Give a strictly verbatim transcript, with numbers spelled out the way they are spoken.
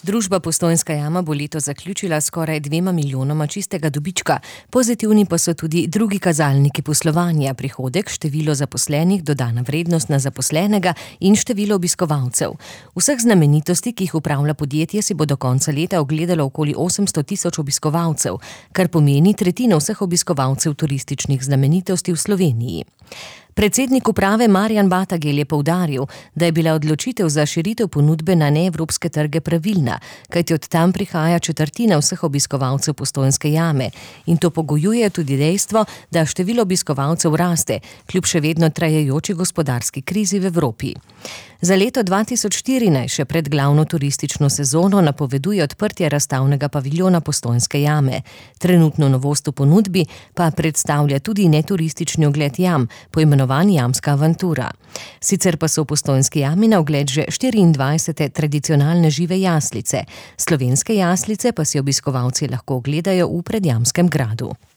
Družba Postojnska jama bo leto zaključila skoraj dvema milijonoma čistega dobička. Pozitivni pa so tudi drugi kazalniki poslovanja, prihodek, število zaposlenih, dodana vrednost na zaposlenega in število obiskovalcev. Vseh znamenitosti, ki jih upravlja podjetje, si bo do konca leta ogledalo okoli osemsto tisoč obiskovalcev, kar pomeni tretjino vseh obiskovalcev turističnih znamenitosti v Sloveniji. Predsednik uprave Marjan Batagel je poudaril, da je bila odločitev za širitev ponudbe na neevropske trge pravilna, kajti od tam prihaja četrtina vseh obiskovalcev Postojnske jame in to pogojuje tudi dejstvo, da število obiskovalcev raste, kljub še vedno trajajoči gospodarski krizi v Evropi. Za leto dva tisoč štirinajst, še pred glavno turistično sezono, napoveduje odprtje razstavnega paviljona Postojnske jame. Trenutno novost v ponudbi pa predstavlja tudi neturistični ogled jam, poimenovan Jamska avantura. Sicer pa so v Postojnski jami na ogled že štiriindvajsete tradicionalne žive jaslice. Slovenske jaslice pa si obiskovalci lahko ogledajo v Predjamskem gradu.